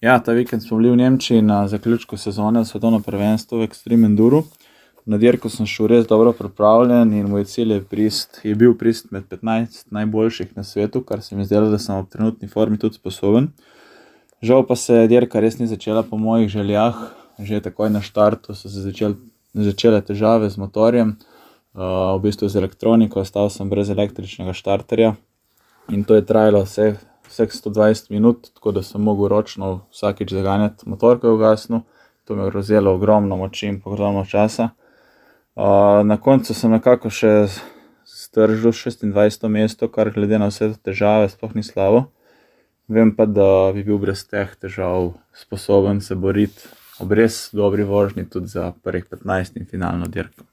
Ja, ta vikend smo bili v Nemčiji na zaključku sezone svetovno prvenstvo v Extreme Enduru. Na dirko sem šel res dobro pripravljen in moj cilj je bil prist med 15 najboljših na svetu, kar se mi zdelo, da sem v trenutni formi tudi sposoben. Žal pa se dirka res ni začela po mojih željah. Že takoj na štartu so se začele težave z motorjem, v bistvu z elektroniko, ostal sem brez električnega štarterja in to je trajalo vseh 120 minut, tako da sem mogel ročno vsakič zaganjati motor, ko je ugasnil. To mi je vzelo ogromno moči in ogromno časa. Na koncu sem nekako še stržil 26. mesto, kar glede na vse težave sploh ni slabo. Vem pa, da bi bil brez teh težav sposoben se boriti ob res dobri vožnji tudi za prvih 15 in finalno dirko.